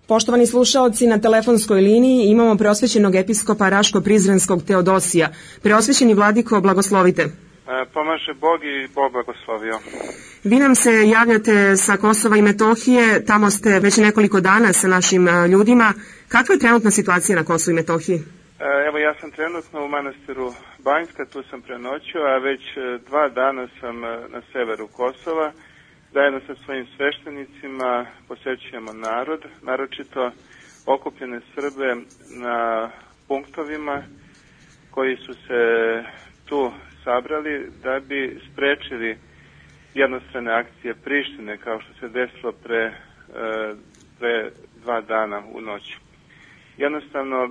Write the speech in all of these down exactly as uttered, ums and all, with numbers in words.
Poštovani slušaoci, na telefonskoj liniji imamo preosvećenog episkopa Raško-Prizrenskog Teodosija. Preosvećeni vladiko, blagoslovite. Pomaže Bog i Bog blagoslovio. Vi nam se javljate sa Kosova i Metohije, tamo ste već nekoliko dana sa našim ljudima. Kakva je trenutna situacija na Kosovu i Metohiji? Evo, ja sam trenutno u manastiru Banjska, tu sam prenoćio, a već dva dana sam na severu Kosova. Zajedno sa svojim sveštenicima posjećujemo narod, naročito okupljene Srbe na punktovima koji su se tu sabrali da bi sprečili jednostrane akcije Prištine, kao što se desilo pre, pre dva dana u noći. Jednostavno,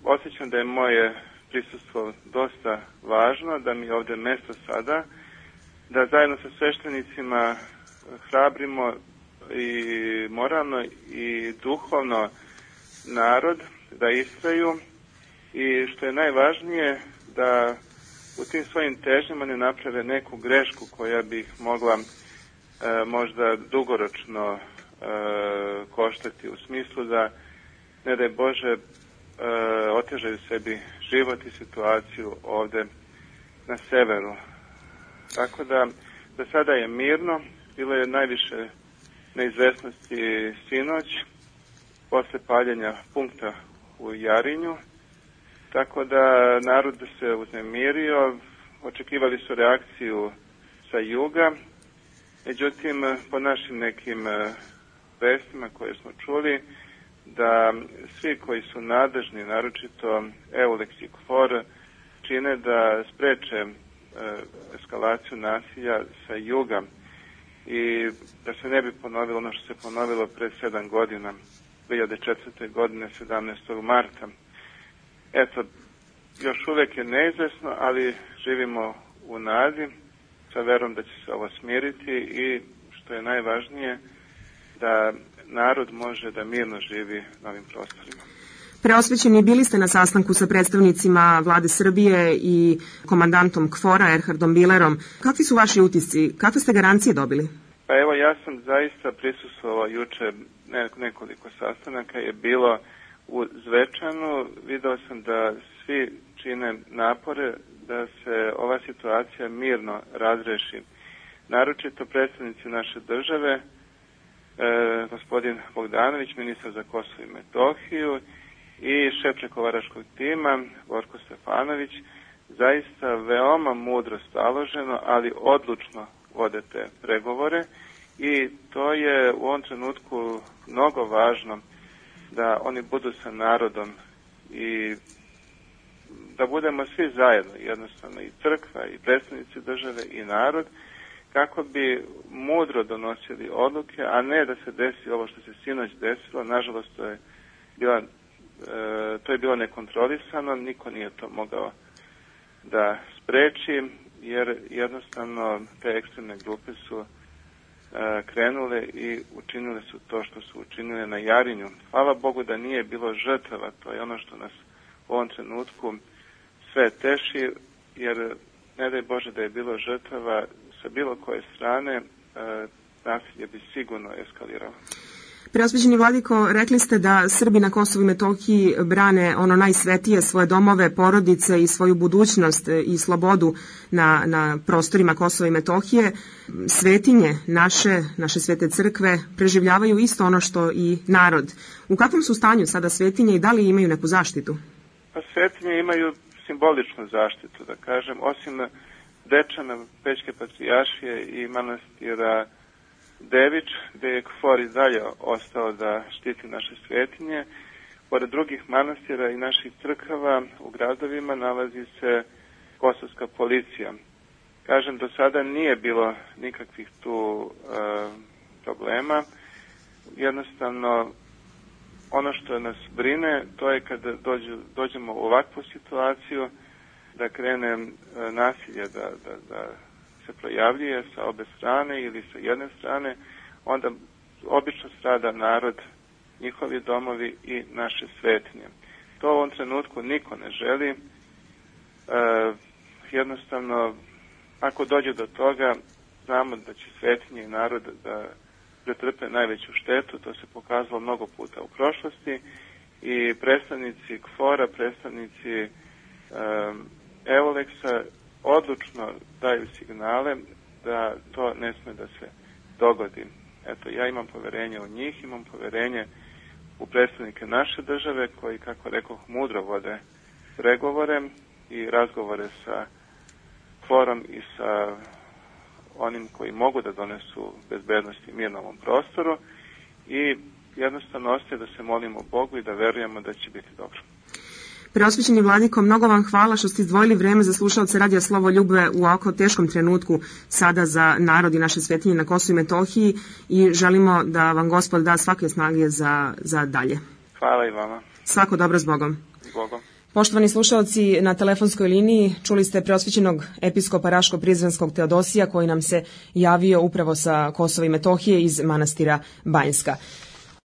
osjećam da je moje prisustvo dosta važno, da mi je ovdje mesto sada, da zajedno sa sveštenicima hrabrimo i moralno i duhovno narod da istraju i što je najvažnije da u tim svojim težnjama ne naprave neku grešku koja bi ih mogla e, možda dugoročno e, koštati, u smislu da, ne daj Bože, e, otežaju sebi život i situaciju ovdje na severu. Tako da, da sada je mirno, bilo je najviše neizvesnosti sinoć, posle paljenja punkta u Jarinju, tako da narod se uznemirio, očekivali su reakciju sa juga, međutim, po našim nekim vestima koje smo čuli, da svi koji su nadležni, naročito Eulex i KFOR, čine da spreče eskalaciju nasilja sa juga i da se ne bi ponovilo ono što se ponovilo pre sedam godina, dve hiljade četvrte. godine, sedamnaestog marta. Eto, još uvek je neizvesno, ali živimo u nadi, sa verom da će se ovo smiriti i, što je najvažnije, da narod može da mirno živi na ovim prostorima. Preosvećeni, bili ste na sastanku sa predstavnicima vlade Srbije i komandantom KFOR-a Erhardom Bilerom. Kakvi su vaši utisci? Kakve ste garancije dobili? Pa evo, ja sam zaista prisustvovao juče, nekoliko sastanaka je bilo u Zvečanu. Video sam da svi čine napore da se ova situacija mirno razreši. Naročito predstavnici naše države, e, gospodin Bogdanović, ministar za Kosovo i Metohiju, i šef pregovaračkog tima, Borko Stefanović, zaista veoma mudro staloženo, ali odlučno vode te pregovore i to je u ovom trenutku mnogo važno da oni budu sa narodom i da budemo svi zajedno, jednostavno i crkva i predstavnici države i narod, kako bi mudro donosili odluke, a ne da se desi ovo što se sinoć desilo. Nažalost, to je bila E, to je bilo nekontrolisano, niko nije to mogao da spreči, jer jednostavno te ekstremne grupe su e, krenule i učinile su to što su učinile na Jarinju. Hvala Bogu da nije bilo žrtava, to je ono što nas u ovom trenutku sve teši, jer ne daj Bože da je bilo žrtava sa bilo koje strane, e, nasilje bi sigurno eskaliralo. Preosvećeni vladiko, rekli ste da Srbi na Kosovu i Metohiji brane ono najsvetije, svoje domove, porodice i svoju budućnost i slobodu na, na prostorima Kosova i Metohije. Svetinje naše, naše svete crkve preživljavaju isto ono što i narod. U kakvom su stanju sada svetinje i da li imaju neku zaštitu? Pa svetinje imaju simboličnu zaštitu, da kažem, osim Dečana, Pećke patrijaršije i manastira Devič, gde je KFOR i dalje ostao da štiti naše svetinje. Pored drugih manastira i naših crkava u gradovima nalazi se kosovska policija. Kažem, do sada nije bilo nikakvih tu e, problema. Jednostavno, ono što nas brine, to je kada dođu, dođemo u ovakvu situaciju, da krene e, nasilje, da, da, da se projavljuje sa obe strane ili sa jedne strane, onda obično strada narod, njihovi domovi i naše svetinje. To u ovom trenutku niko ne želi. E, jednostavno, ako dođe do toga, znamo da će svetinje i narod da pretrpe najveću štetu, to se pokazalo mnogo puta u prošlosti i predstavnici KFOR-a, predstavnici um, Evoleksa odlučno daju signale da to ne sme da se dogodi. Eto, ja imam poverenje u njih, imam poverenje u predstavnike naše države koji, kako rekoh, mudro vode pregovore i razgovore sa KFOR-om i sa onim koji mogu da donesu bezbednost i mir na ovom prostoru i jednostavno ostaje da se molimo Bogu i da verujemo da će biti dobro. Preosvećeni vladiko, mnogo vam hvala što ste izdvojili vreme za slušalce Radija Slovoljube u ovako teškom trenutku sada za narod i naše svetinje na Kosovu i Metohiji i želimo da vam Gospod da svake snage za, za dalje. Hvala i vama. Svako dobro s Bogom. S Bogom. Poštovani slušalci, na telefonskoj liniji čuli ste preosvećenog episkopa Raško-Prizrenskog Teodosija koji nam se javio upravo sa Kosova i Metohije iz manastira Banjska.